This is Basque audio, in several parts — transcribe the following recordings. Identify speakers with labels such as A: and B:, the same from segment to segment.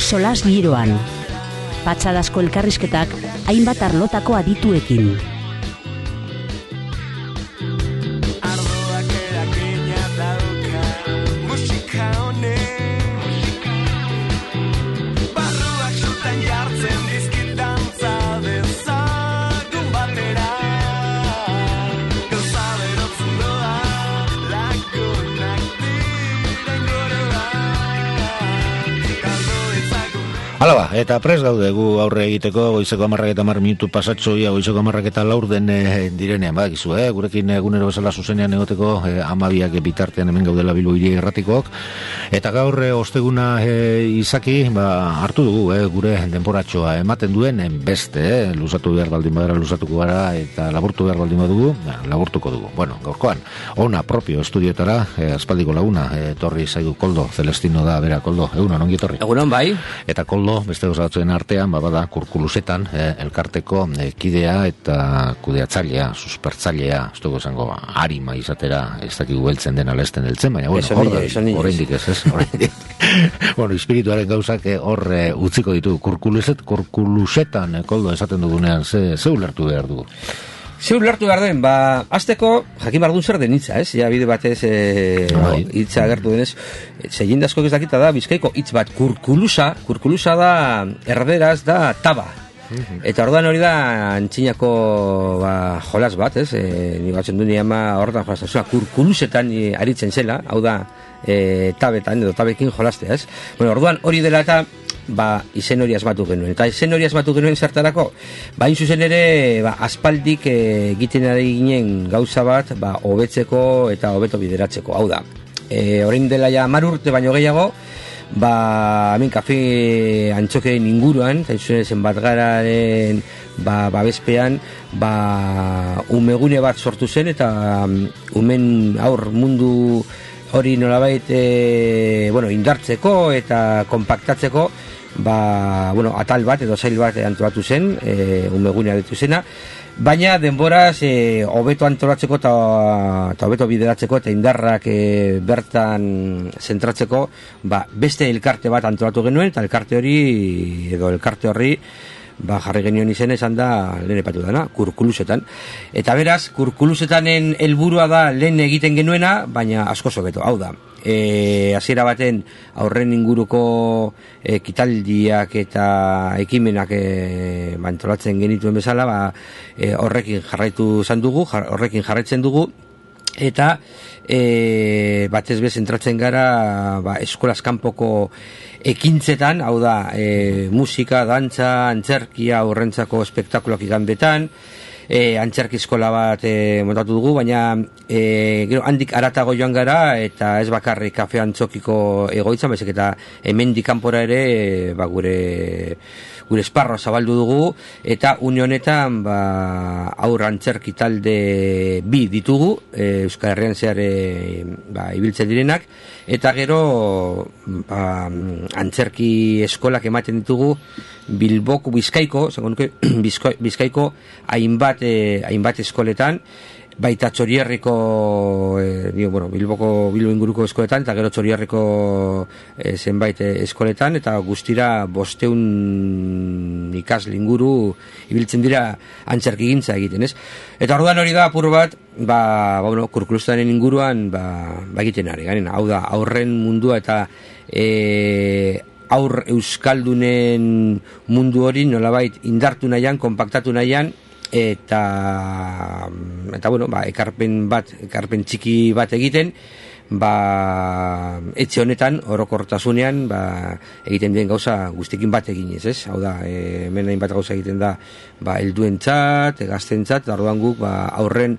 A: solas giroan. Patxadazko elkarrizketak hainbat arlotako adituekin.
B: Hala eta prest gaude gu aurre egiteko goizeko 10:10 pasatxoia goizeko 11:04 direnean, badakizu, gurekin egunero bezala zuzenean egoteko 12 bitartean hemen gaudela Bilbo Hiri Irratikoak, eta gaur osteguna izaki, hartu dugu gure denboratxoa ematen duen beste, luzatu behar baldin badara luzatuko gara, eta laburtu behar baldin badugu, laburtuko dugu. Bueno, gaurkoan, ona propio estudioetara, aspaldiko laguna, torri zaigu Koldo, Celestino da, bera, Koldo, egunon, ongi torri.
C: Egunon, bai.
B: Eta Koldo, beste gozatzen artean, bada Kurkulusetan, elkarteko kidea eta kudeatzailea, suspertzailea, ez dugu esango, arima izatera, ez dakigu beltzen den alesten deltzen, baina, bueno, horreindik ez. Bueno, espirituaren gauzak hor utziko ditu. Kurkulusetan, Koldo, esaten dugunean, ze ulertu behar dugu?
C: Zeur lertu behar den, azteko jakin behar duen zer den hitza, ez? Ja, bide batez hitza agertu denez, zegindazko ez dakita da, Bizkaiko hitz bat, kurkulusa da, erderaz da taba. Eta orduan hori da antxinako jolas bat, ez? Nik batzen duen ama horretan jolazta, kurkulusetan aritzen zela, hau da, tabetan edo tabekin jolastea, ez? Bueno, orduan hori dela eta izen hori asmatu genuen. Eta izen hori asmatu genuen zertarako, hain zuzen ere, aspaldik egiten ari ginen gauza bat, hobetzeko eta hobeto bideratzeko. Hau da, orain dela ja 10 urte baino gehiago, hemen kafe antxokeen inguruan, eta izuen zenbat gararen babespean, umegune bat sortu zen, eta umen aur mundu hori nolabait indartzeko eta kompaktatzeko, atal bat edo zail bat antolatu zen, umegunea ditu zena, baina denboraz hobeto antolatzeko eta hobeto bideratzeko eta indarrak bertan zentratzeko, beste elkarte bat antolatu genuen, eta elkarte horri jarri genuen izen esan da lehen epatu dana, Kurkulusetan. Eta beraz, Kurkulusetanen helburua da lehen egiten genuena, baina asko sobeto, hau da. Hasiera baten aurren inguruko kitaldiak eta ekimenak antolatzen genituen bezala, horrekin jarraitzen dugu, eta batez bez entratzen gara eskolaz kanpoko ekintzetan, hau da, musika, dantza, antzerkia, horrentzako espektakuloak igandetan, antzerki eskola bat montatu dugu, baina gero handik aratago joan gara, eta ez bakarrik kafe antzokiko egoitzan, baizik eta hemendik kanpora ere gure esparroa zabaldu dugu, eta une honetan aur antzerki talde 2 ditugu, Euskal Herrian zehar ibiltzen direnak, eta gero antzerki eskolak ematen ditugu Bilboko, Bizkaiko hainbat eskoletan, baita Txorierriko Bilbo inguruko eskoletan, eta gero Txorierriko zenbait eskoletan, eta guztira 500 ikasle inguru ibiltzen dira antzerkigintza egiten, ez? Eta orduan hori da apur bat, Kurkulusetanen inguruan egiten ari garen, hau da, aurren mundua eta aur euskaldunen mundu hori nolabait indartu nahian, konpaktatu nahian, eta ekarpen txiki bat egiten, etxe honetan, orokortasunean, egiten den gauza guztikin bat eginez, ez? Hau da, hemen hainbat gauza egiten da, helduentzat, gaztentzat, orduan guk, aurren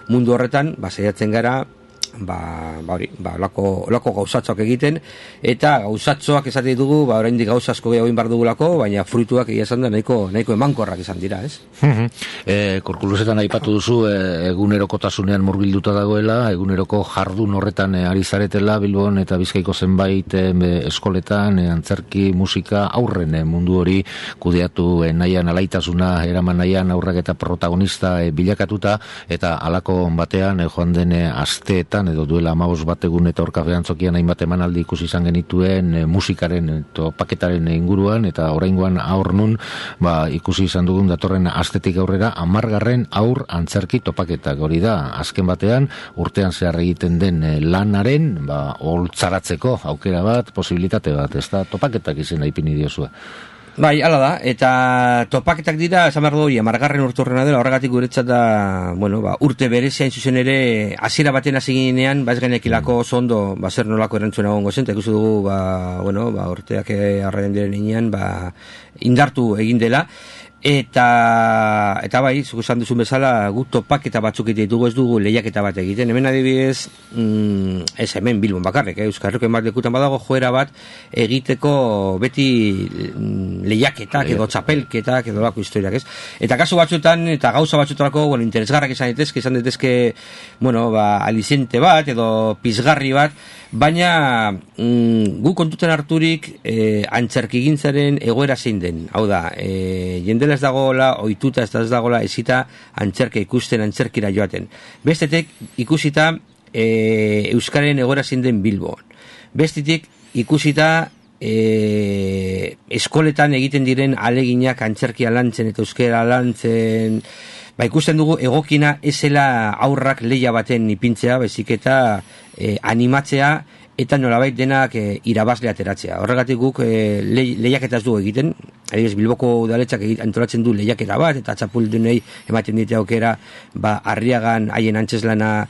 C: mundu horretan, saiatzen gara, olako gauzatzoak egiten, eta gauzatzoak esate ditugu, oraindik gauza asko gehiago behar dugulako, baina fruituak egia esan da nahiko emankorrak izan dira, ez?
B: Kurkulusetan aipatu duzu, egunerokotasunean murgilduta dagoela, eguneroko jardun horretan ari zaretela, Bilbon eta Bizkaiko zenbait eskoletan, antzerki, musika, aurren mundu hori kudeatu nahian, alaitasuna eraman nahian, aurrak eta protagonista bilakatuta, eta halako batean joan den asteetan urteetan, edo duela 15 bat egun eta Orkafe Antzokian hainbat emanaldi ikusi izan genituen musikaren topaketaren inguruan, eta oraingoan aur nun, ikusi izan dugun datorren astetik aurrera 10. aur antzerki topaketak. Hori da, azken batean, urtean zehar egiten den lanaren, holtzaratzeko aukera bat, posibilitate bat, ez da, topaketak izena ipini diozue.
C: Bai, hala da, eta topaketak dira, esan behar du, 10. urturrena dela, horregatik guretzat da, urte berezia hain zuzen ere, hasiera baten hasi ginean, ez genekilako oso ondo, zer nolako erantzuna egongo zen, eta ikusi dugu, urteak arraien diren inean, indartu egin dela, eta bai, zuk esan duzun bezala, guk topaketa batzuk ditugu, ez dugu lehiaketa bat egiten. Hemen adibidez, ez hemen Bilbon bakarrik, Euskal Herriko bat lekutan badago joera bat egiteko beti lehiaketak edo txapelketak edo lako historiak, ez? Eta kasu batzuetan, eta gauza batzuetarako, interesgarrak izan daitezke, alizente bat edo pizgarri bat, baina gu kontuten harturik antzerkigintzaren egoera zein den. Hau da, jendela ez dagoela, ohituta ez dagoela ezita antzerka ikusten, antzerkira joaten. Bestetik ikusita Euskaren egoera zein den Bilbon. Bestetik ikusita eskoletan egiten diren aleginak antzerkia lantzen eta euskera lantzen, ikusten dugu egokina ezela aurrak lehia baten ipintzea, baizik eta animatzea eta nolabait denak irabazle ateratzea. Horregatik guk lehiaketa ez dugu egiten, adibidez Bilboko udaletxak antolatzen du lehiaketa bat, eta txapuldunei ematen dite aukera Arriagan haien antzeslana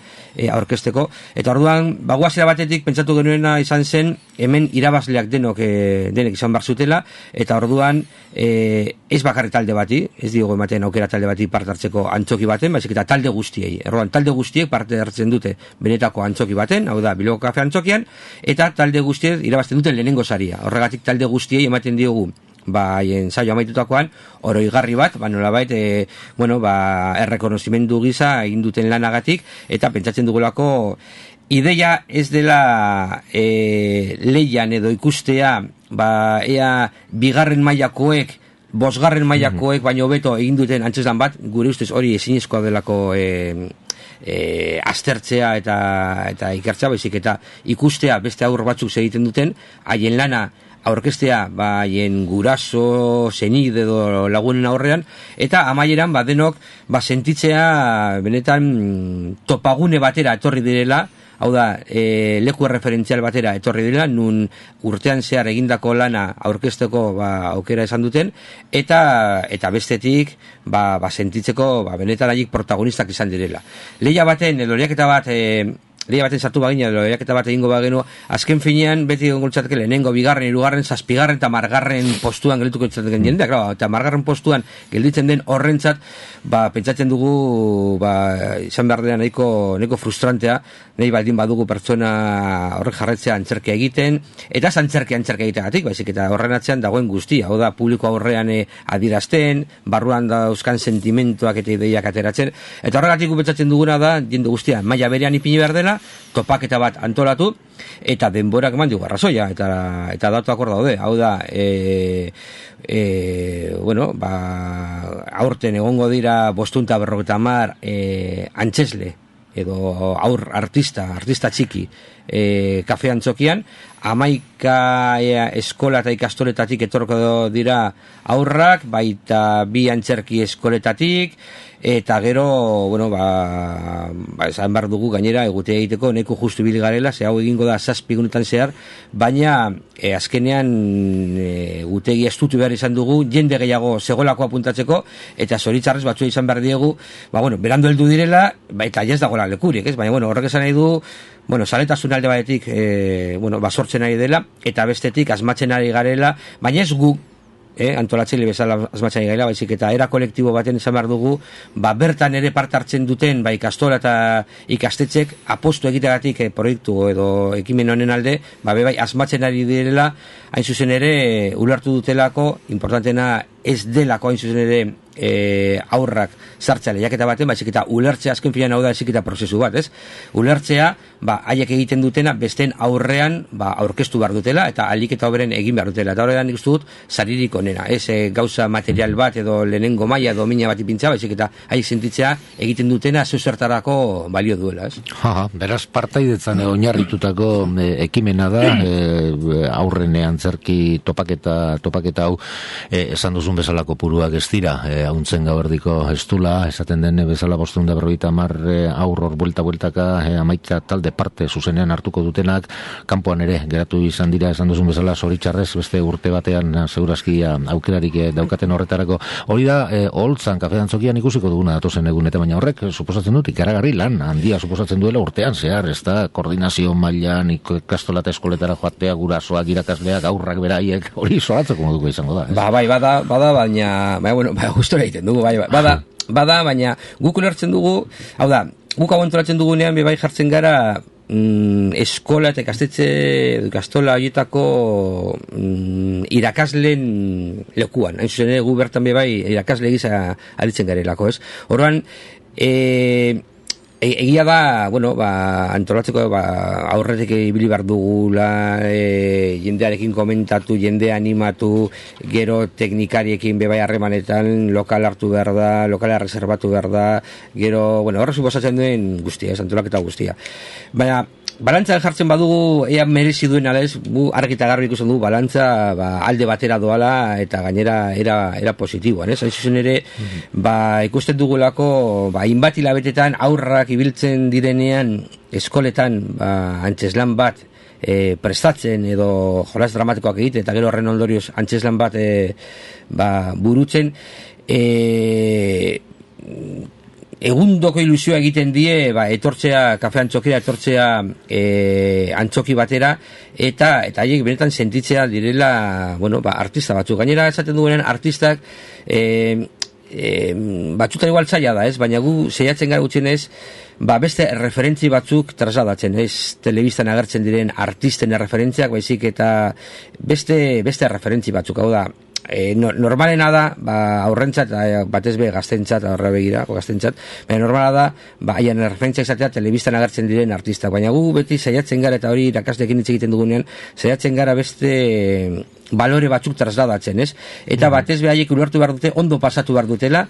C: aurkezteko. Eta orduan, guazera batetik pentsatu genuena izan zen, hemen irabazleak denek izan bar zutela, eta orduan ez bakarri talde bati, ez diogu ematen aukera talde bati parte hartzeko antzoki baten, baizik eta talde guztiei. Orduan, talde guztiek parte hartzen dute benetako antzoki baten, hau da, Bilboko Kafe Antzokian, eta talde guztiek irabazten duten lehenengo saria. Horregatik talde guztiei ematen diogu haien saio amaitutakoan, oroigarri bat, nolabait, errekonozimendu gisa egin duten lanagatik, eta pentsatzen dugulako ideia ez dela leian edo ikustea, ea bigarren mailakoek, bosgarren mailakoek, baino beto egin duten antzeslan bat, gure ustez hori ezinezkoa delako aztertzea eta ikertzea, baizik eta ikustea beste aur batzuk egiten duten, haien lana aurkestea haien guraso, senide edo lagunen aurrean, eta amaieran denok sentitzea benetan topagune batera etorri direla, hau da, leku referentzial batera etorri direla, nun urtean zehar egindako lana aurkezteko aukera esan duten, eta bestetik sentitzeko benetan haiek protagonistak izan direla. Lehia baten, edo lehiaketa baten sartu bagina, lehiaketa bat egingo bagenu, azken finean beti egongo litzateke lehenengo, bigarren, hirugarren, zazpigarren eta margarren postuan geldituko litzateke jendea, eta margarren postuan gelditzen den horrentzat, pentsatzen dugu, izan behar dela nahiko frustrantea, nahi baldin badugu pertsona horrek jarretzea antzerkia egiten, eta antzerkia egiteagatik, baizik eta horren atzean dagoen guztia, hau da, publiko aurrean adirazten, barruan dauzkan sentimentuak eta ideiak ateratzen, eta horregatik pentsatzen duguna da, jende guztia, maila berean ipini behar dela, topaketa bat antolatu, eta denborak eman dugu arrazoia, eta datuak hor daude, hau da, aurten egongo dira 550 antzesle, edo aur artista txiki, Kafe Antzokian, 11 eskola eta ikastoletatik etorko dira aurrak, baita 2 antzerki eskoletatik, eta gero, esan behar dugu gainera egutea egiteko neko justu ibili garela, ze hau egingo da 7 egunetan zehar, baina azkenean egutegi estutu behar izan dugu, jende gehiago segolako apuntatzeko, eta zoritzarrez batzua izan behar diegu, berando heldu direla, eta ez dagoela lekurik, ez? Baina horrek esan nahi du, saletasun alde batetik sortzen ari dela, eta bestetik asmatzen ari garela, baina ez guk antolatzaile bezala asmatzen ari garela, baizik eta era kolektibo baten esan behar dugu, bertan ere parte hartzen duten ikastola eta ikastetxek apostu egiteagatik proiektu edo ekimen honen alde, bai asmatzen ari direla, hain zuzen ere ulertu dutelako, importantena ez delako hain zuzen ere aurrak sartzea lehiaketa baten, baizik eta ulertzea azken finean hau da eziketa prozesu bat, ez? Ulertzea, haiek egiten dutena besteen aurrean aurkeztu behar dutela eta ahalik eta hoberen egin behar dutela. Eta horrean nik uste dut saririk onena, ez gauza material bat edo lehenengo maila edo mina bat ipintza, baizik eta haiek sentitzea egiten dutena zertarako balio duela, ez?
B: Beraz partaidetzan oinarritutako ekimena da, aurren antzerki topaketa hau, esan duzun bezalako puruak ez dira, hauntzen gauerdiko estula, esaten den bezala 550 aurror buelta-bueltaka, amaika talde parte zuzenean hartuko dutenak, kanpoan ere geratu izan dira, esan duzun bezala, zoritxarrez, beste urte batean segurazki aukerarik daukaten horretarako. Hori da, Oholtzan, kafe dantzokian ikusiko duguna datozen egun, eta baina horrek, suposatzen dut, ikaragarri lan handia suposatzen duela urtean zehar, ez da, koordinazio mailan, ikastola eta eskoletara joatea, gurasoak, irakasleak, aurrak beraiek, hori zoratzeko moduko izango da.
C: Bai, bada, baina, gustora egiten dugu, bada, baina guk ulertzen dugu, hau da, guk hau antolatzen dugunean bai jartzen gara eskola eta ikastola horietako irakasleen lekuan. Hain zuzen gu bertan bai irakasle gisa aritzen garelako, ez? Orduan, egia da, antolatzeko aurretik ibili behar dugula, jendearekin komentatu, jendea animatu, gero teknikariekin bebai harremanetan, lokal hartu behar da, lokala reservatu behar da, gero, horre suposatzen duen guztia, antolaketa guztia. Baina, balantzan jartzen badugu ea merezi duen ala ez, argi eta garbi ikusten dugu balantza alde batera doala eta gainera era positiboan, ez? Hain zuzen ere, ikusten dugulako hainbat hilabetetan aurrak ibiltzen direnean eskoletan antzeslan bat prestatzen edo jolas dramatikoak egiten eta gero horren ondorioz antzeslan bat burutzen, egundoko ilusioa egiten die etortzea kafe antzokira, etortzea antzoki batera eta haiek benetan sentitzea direla artista batzuk. Gainera esaten dugunean artistak batzutan igual zaila da, ez? Baina gu saiatzen gara gutxienez beste referentzi batzuk trasladatzen, ez? Telebistan agertzen diren artisten referentziak, baizik eta beste referentzi batzuk, hau da, normalena da, aurrentzat, batez be gaztentzat, aurra begira, gaztentzat, baina normala da, haien referentzia izatea telebistan agertzen diren artistak, baina gu beti saiatzen gara, eta hori irakasleekin hitz egiten dugunean, saiatzen gara beste balore batzuk trasladatzen, ez? Eta batez be haiek ulertu behar dute, ondo pasatu behar dutela,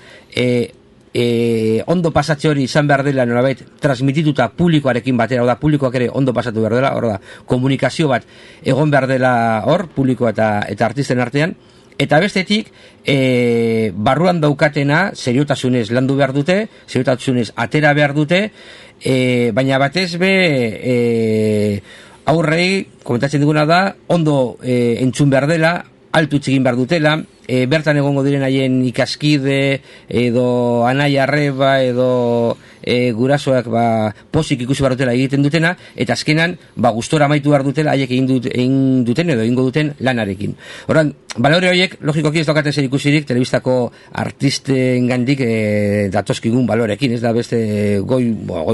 C: ondo pasatze hori izan behar dela nolabait transmitituta publikoarekin batera, da publikoak ere ondo pasatu behar dela, hor da, komunikazio bat egon behar dela hor, publikoa eta artisten artean, eta bestetik, barruan daukatena, seriotasunez landu behar dute, seriotasunez atera behar dute, baina batez be, aurrei, komentatzen duguna da, ondo entzun behar dela, altu txigin behar dutela, bertan egongo diren haien ikaskide, edo anai arreba, edo gurasoak posik ikusi behar dutela egiten dutena, eta azkenan gustora amaitu behar dutela haiek egin duten edo egingo duten lanarekin. Horan, balore horiek, logikoki ez daukaten zer ikusirik, telebistako artisten gandik datozkigun balorekin, ez da beste goi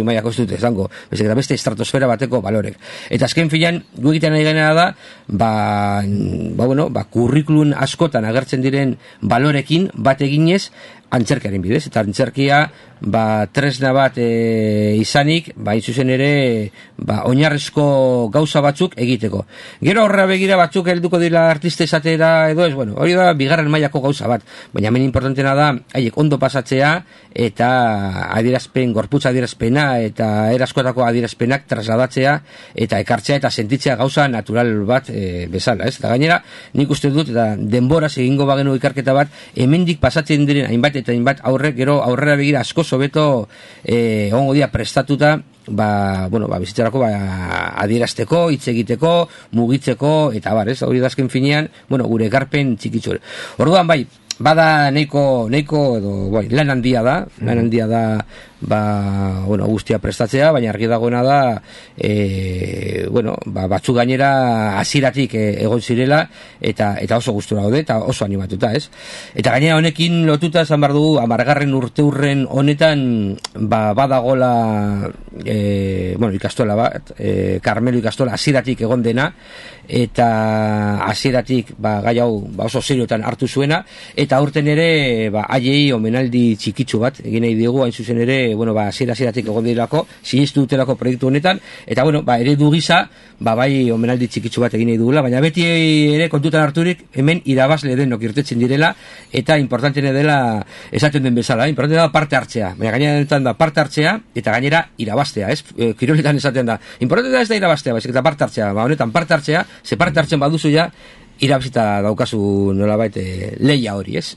C: mailako ez dute, zango, beste estratosfera bateko balorek. Eta azken filan, gu egiten nahi gainera da, kurrikulun askotan agertzen diren balorekin bat eginez antzerkiaren bidez, eta antzerkia tresna bat izanik, zuzen ere oinarrezko gauza batzuk egiteko. Gero horra begira batzuk helduko dira artista esatera edo ez, hori da bigarren mailako gauza bat, baina hemen importantena da haiek ondo pasatzea eta adierazpen, gorputza adierazpena eta eraskotako adierazpenak trasladatzea eta ekartzea eta sentitzea gauza natural bat bezala, ez? Eta gainera, nik uste dut, eta denboraz egingo bagenu ikarketa bat, hemendik pasatzen diren hainbat eta hainbat aurrek, gero aurrera begira asko hobeto egongo dira prestatuta bizitzarako adierazteko, hitz egiteko, mugitzeko eta hori da azken finean, gure ekarpen txikitzu. Orduan bada nahiko edo lan handia da guztia prestatzea, baina argi dagoena da batzuk gainera hasieratik egon zirela eta oso gustura daude eta oso animatuta, ez? Eta gainera honekin lotuta esan behar dugu 10. urteurren honetan badagola ikastola bat, Karmelo ikastola hasieratik egon dena eta hasieratik gai hau oso seriotan hartu zuena eta aurten ere haiei omenaldi txikitsu bat egin nahi diegu, hain zuzen ere bueno, hasieratik egon direlako, sinistu dutelako proiektu honetan, eta bueno, eredu gisa, bai omenaldi txikitsu bat egin nahi dugula, baina beti ere kontutan harturik hemen irabazle denok irtetzen direla, eta importantene dela esaten den bezala, importantene da parte hartzea, baina gainera da parte hartzea, eta gainera irabaztea, ez? Kiroletan esaten da, importantena ez da irabaztea, baizik eta parte hartzea, honetan parte hartzea, ze parte hartzen baduzu ja, irabazita daukazu nolabait leia hori, ez?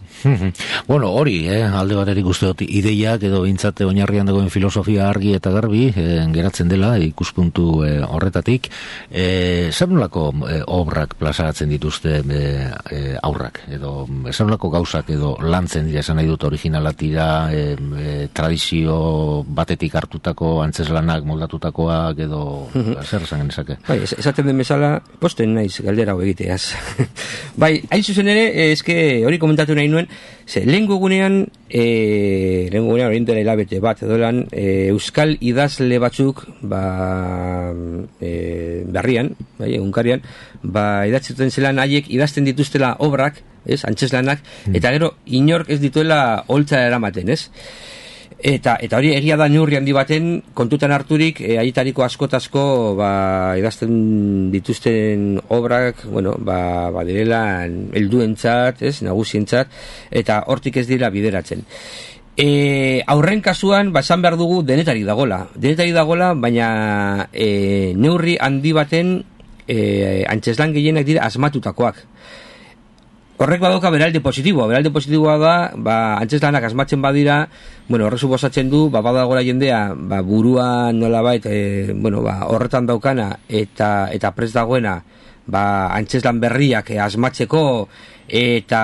B: Bueno, hori, alde baterik uste dut ideiak edo bintzate oinarrian dagoen filosofia argi eta garbi geratzen dela ikuspuntu horretatik. Zer nolako obrak plazaratzen dituzte aurrak? Edo zer nolako gauzak edo lantzen dira, esan nahi dut originala tira, tradizio batetik hartutako antzeslanak moldatutakoak edo zer esan genezake?
C: Bai, esaten den bezala, posten naiz galdera hau egiteaz. Bai, hain zuzen ere, eske hori komentatu nahi nuen, lehengo egunean hori dela hilabete bat edolan, euskal idazle batzuk berrian, egunkarian, idatzuten zelan haiek idazten dituztela obrak, antzeslanak, eta gero inork ez dituela holtza eramaten, ez? Eta hori egia da neurri handi baten kontutan harturik haietariko askotazko idazten dituzten obrak, direla helduentzat, nagusientzat, eta hortik ez dira bideratzen. Aurren kasuan, esan behar dugu denetarik dagola, baina neurri handi baten antzeslan gehienak dira asmatutakoak. Horrek badauka beralde positiboa da, antzeslanak asmatzen badira, horrek suposatzen du, badagoela jendea, buruan nolabait, horretan daukana, eta prest dagoena, antzeslan berriak asmatzeko, eta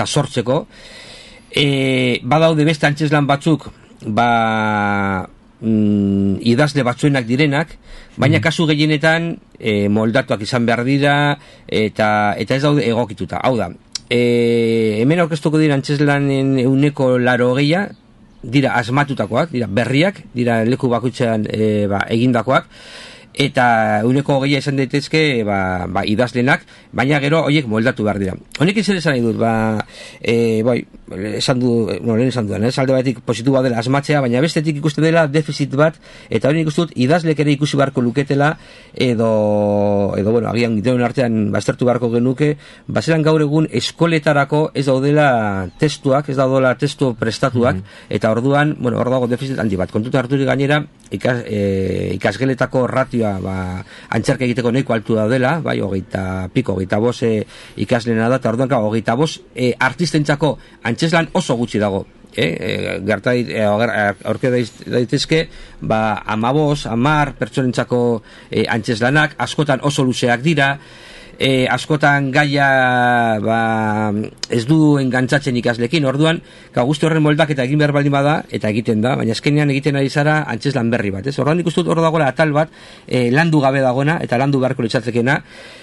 C: sortzeko. Badaude beste antzeslan batzuk, idazle batzuenak direnak, baina kasu gehienetan moldatuak izan behar dira eta ez daude egokituta. Hau da, hemen aurkeztuko dira antzeslanen 80% dira asmatutakoak, dira berriak, dira leku bakoitzean egindakoak, eta 120 izan daitezke idazlenak, baina gero horiek moldatu behar dira. Honek zer esan nahi dut, lehen esan dudan, alde batetik positiboa dela asmatzea, baina bestetik ikusten dela defizit bat, eta hori ikusten dut idazlek ere ikusi beharko luketela, edo agian denon artean baztertu beharko genuke, zelan gaur egun eskoletarako ez daudela testuak, ez daudela testu prestatuak, eta orduan, hor dago defizit handi bat. Kontuta harturik gainera, ikasgeletako ratioa antzerka egiteko nahiko altu da dela, 25 ikaslena da, eta orduan 25 artistentzako antzeslan oso gutxi dago. Aurke daitezke 15-10 pertsonentzako antzeslanak, askotan oso luzeak dira, askotan gaia ez du engantzatzen ikaslekin, orduan guzti horren moldaketa egin behar baldin bada, eta egiten da, baina azkenean egiten ari zara antzeslan berri bat, orduan ikustut hor dagoela atal bat landu gabe dagoena, eta landu beharko litzatzekeena,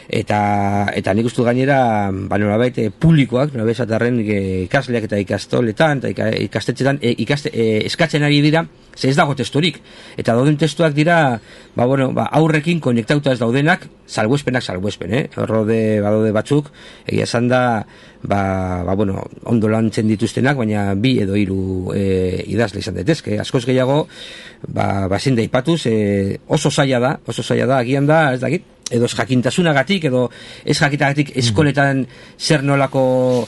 C: eta nik uste gainera nolabait publikoak, nolabait esatarren ikasleak eta ikastoletan eta ikastetxetan eskatzen ari dira, ze ez dago testurik, eta dauden testuak dira aurrekin konektauta ez daudenak, salbuespen, badaude batzuk, egia esan da ondo lantzen dituztenak, baina 2 edo 3 idazle izan daitezke, askoz gehiago ezin da aipatuz, oso zaila da, agian da, ez dakit, edo ez jakintasunagatik, edo ez jakitagatik eskoletan zer nolako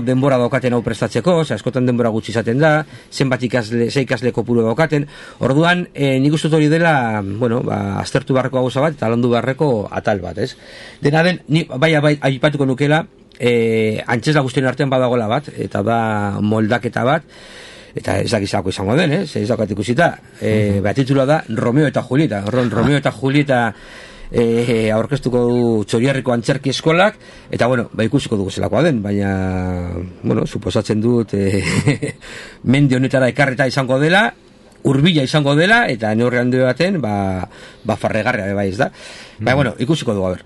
C: denbora daukaten hau prestatzeko, askotan denbora gutxi izaten da, zenbat ikasle kopuru daukaten, orduan nik uste hori dela, aztertu beharreko gauza bat, eta landu beharreko atal bat, ez? Dena den, bai aipatuko nukela, antzesla guztien artean badagola bat, eta da moldaketa bat, eta ez dakizako izango den, ez dakat ikusita, titula da Romeo eta Julieta. Romeo eta Julieta aurkeztuko du Txorierriko antzerki eskolak, eta ikusiko dugu zelakoa den, baina suposatzen dut mende honetara ekarreta izango dela, hurbila izango dela, eta neurri handi baten farregarria bai, ez da. Ikusiko dugu, a ber.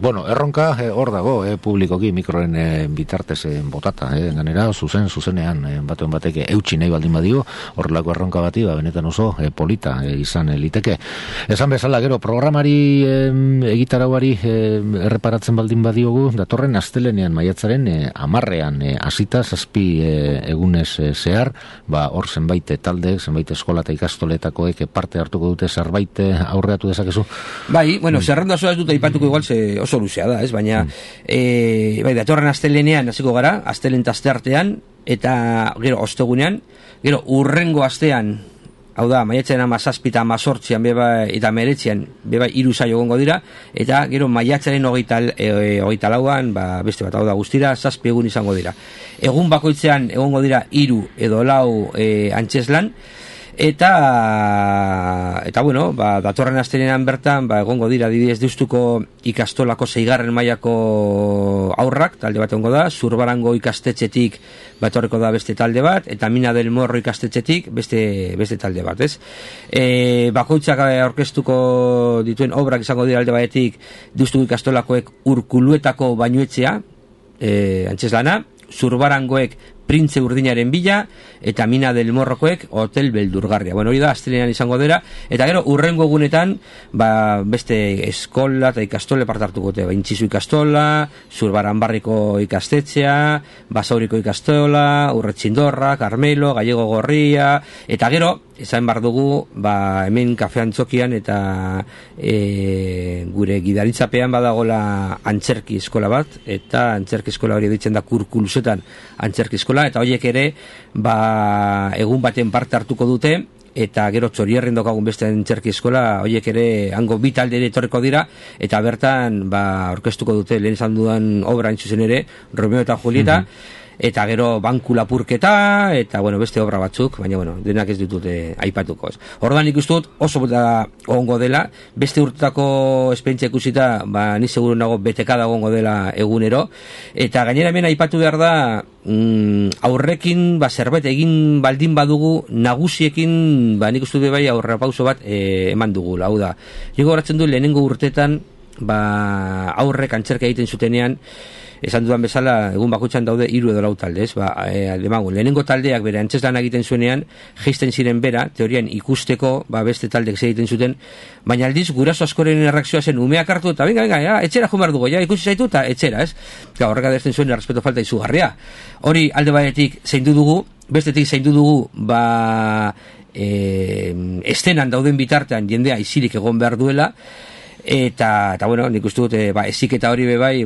B: Bueno, erronka hor dago, publikoki mikroen bitartez botata, ganera zuzenean batuen bateke eutxi nahi baldin badio, horrelako erronka bati, benetan oso polita izan liteke. Esan bezala, gero, programari egitarauari erreparatzen baldin badiogu, datorren astelenean maiatzaren 10ean hasita 7 egunez zehar, hor zenbait talde, zenbait eskola eta ikastoletakoek parte hartuko dute zerbait aurreatu dezakezu?
C: Bai, bueno, zerrenda osoa ez dut aipatuko igual oso luzea da, ez? Baina bai, datorren astelenean hasiko gara, astelehen eta asteartean, eta gero ostegunean, gero urrengo astean, hau da, maiatzaren 17 eta 18 eta 19 beba 3 saio egongo dira, eta gero maiatzaren 24an, beste bat, hau da, guztira 7 egun izango dira. Egun bakoitzean egongo dira 3 edo 4 antzeslan, eta bueno, datorren astelenean bertan, egongo dira adibidez Deustuko ikastolako 6. mailako aurrak, talde bat egongo da, Zurbarango ikastetxetik etorriko da beste talde bat, eta Mina del Morro ikastetxetik beste talde bat, ez? Bakoitzak aurkeztuko dituen obrak izango dira alde batetik Deustuko ikastolakoek Urkuluetako bainuetxea, antzeslana, Zurbarangoek Printze Urdinaren bila, eta Mina del Morrokoek Hotel Beldurgarria. Bueno, hori da, astelenean izango dira, eta gero, urrengo egunetan, beste eskola eta ikastole parte hartuko dute, Intzizu ikastola, Zurbaranbarriko ikastetxea, Basauriko ikastola, Urretxindorra, Carmelo, Gallego Gorria, eta gero, esan bar dugu, hemen Kafe Antzokian eta gure gidaritzapean badagola antzerki eskola bat, eta antzerki eskola hori ditzen da Kurkulusetan antzerki eskola, eta horiek ere egun baten parte hartuko dute, eta gero Txorierren dokagun beste antzerki eskola, horiek ere hango bi talde ere etorreko dira, eta bertan orkestuko dute lehen esan dudan obra zuzen ere, Romeo eta Julieta, eta gero banku lapurketa, eta bueno, beste obra batzuk, baina bueno, denak ez ditut aipatuko. Orduan ikustu dut oso ongo dela, beste urtetako esperientzia ikusita, ni seguru nago betekada ongo dela egunero, eta gainera hemen aipatu behar da, aurrekin zerbait egin baldin badugu, nagusiekin nik uste dut bai aurrerapauso bat eman dugu, hau da. Nik horatzen du lehenengo urtetan aurrek antzerka egiten zutenean, esan dudan bezala, egun bakoitzan daude 3 edo 4 talde, lehenengo taldeak bere antzeslan egiten zuenean, jeisten ziren bera, teorian ikusteko, beste taldek egiten zuten, baina aldiz, guraso askoren erreakzioa zen, umeak hartu, eta venga, etxera jumar dugu, ikusi zaitu, eta etxera, ez? Horrek adezten zuen, errespeto falta izugarria. Hori, alde batetik zeindu dugu, bestetik zeindu dugu, estenan dauden bitartean jendea isilik egon behar duela, eta bueno, nik uste dut eziketa hori bebai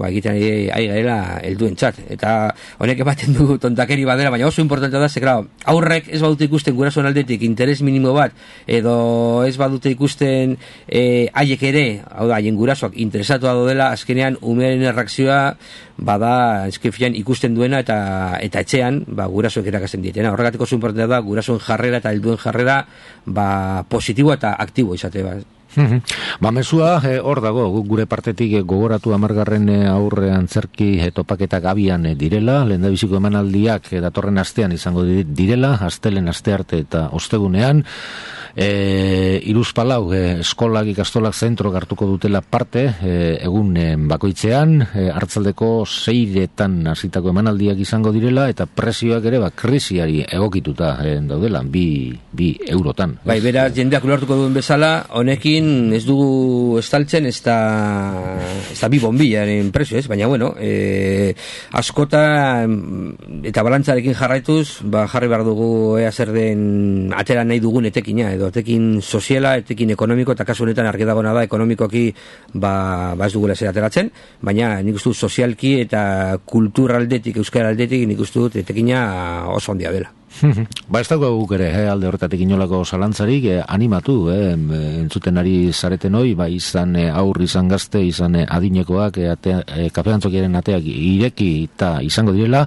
C: egiten ari garela helduen txat, eta honek ematen du tontakeri badera, baina oso importantea da, ze claro, aurrek ez badute ikusten gurasoen aldetik interes minimo bat, edo ez badute ikusten haiek ere, hau da, haien gurasoak interesatua dela, azkenean umearen erreakzioa bada eskefian ikusten duena eta etxean gurasoek erakasten dietena. Horregatik oso importantea da gurasoen jarrera eta helduen jarrera positibo eta aktibo izate
B: Mezua hor dago, gure partetik gogoratu 10. aurre antzerki topaketak abian direla, lehendabiziko emanaldiak datorren astean izango direla, astelen astearte eta ostegunean, 3 eskolak ikastolak zentro hartuko dutela parte egun bakoitzean, hartzaldeko 6etan hasitako emanaldiak izango direla, eta prezioak ere krisiari egokituta daudela, 2 eurotan.
C: Bai, beraz, jendeak ulertuko duen bezala, honekin ez dugu estaltzen, ez da bi bombilaren prezio, ez? Baina, bueno, askota eta balantzarekin jarraituz, jarri behar dugu zer den atera nahi dugun etekina, edo etekin soziala, etekin ekonomiko, eta kasu honetan argi dagoena da, ekonomikoki ez dugula zer ateratzen, baina nik uste dut sozialki eta kulturaldetik, euskaraldetik, nik uste dut etekina oso handia dela.
B: Ez dago guk ere, alde horretatik inolako zalantzarik, animatu, entzuten ari zareten hoi, izan aurri, izan gazte, izan adinekoak, Kafe Antzokiaren ateak ireki eta izango direla,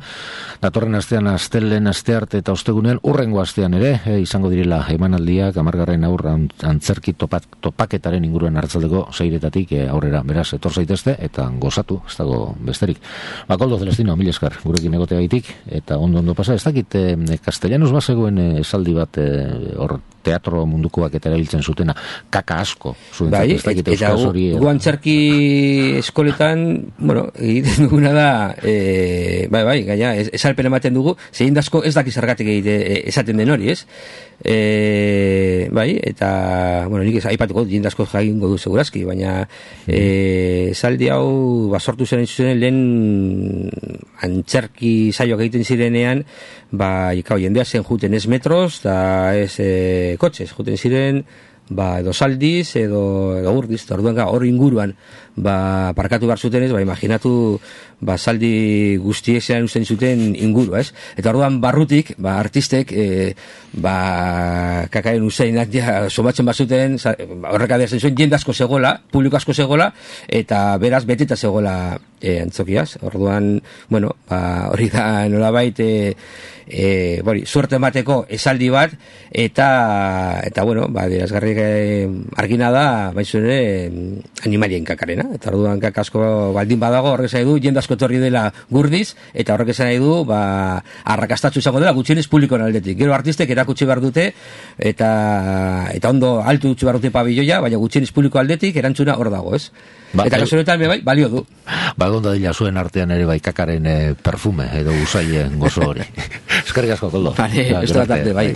B: datorren astean astelen astearte eta ostegunean, urrengo astean ere, izango direla emanaldiak, 10. aurra antzerki topaketaren inguruan hartzaldeko 6etatik aurrera, beraz, etor zaitezte, eta gozatu, ez dago besterik. Koldo Celestino, mil esker, gurekin egotea gaitik, eta ondo pasa, ez dakit, Castellanos bazegoen esaldi bat hor teatro mundukoak eta erabiltzen zutena, kaka asko, zuen
C: bai, eta gu antzerki eskoletan, bueno, egiten duguna da, bai, gaina, esalpen ematen dugu, zein dasko ez daki zergatik esaten den hori, ez? Bai, eta, bueno, nik aipatuko jendasko jagingo du segurazki, baina esaldi hau basortu zen lehen antzerki saioak egiten zirenean, jendea zen juten ez metros, eta ez kotxez, juten ziren, edo saldiz, edo urdiz, orduan hor inguruan, parkatu behar zuten ez, imaginatu, saldi guztiek zelan usten zuten inguru, ez? Eta orduan barrutik, artistek, kakaen usainak somatzen bazuten, horrek adiazen zuen, jende asko zegoela, publiko asko zegoela, eta beraz beteta zegoela antzokiaz. Orduan, bueno, hori da nolabait, suerte emateko esaldi bat, eta bueno, berazgarrik argina da, baizuen animalien kakarena, eta orduan kakasko baldin badago, horrek esan du, jende asko torri dela gurdiz, eta horrek esan du, arrakastatzu izango dela, gutxienez publikoan aldetik. Gero artistek erakutsi behar dute, eta ondo altu dutxu behar dute pabilloia, baina gutxienez publiko aldetik, erantzuna hor dago, ez? Eta kasunetan, balio du.
B: Onda dila zuen artean ere kakaren perfume, edo usaien gozo hori. Eskerrik asko, Koldo.
C: Vale, ez da bai.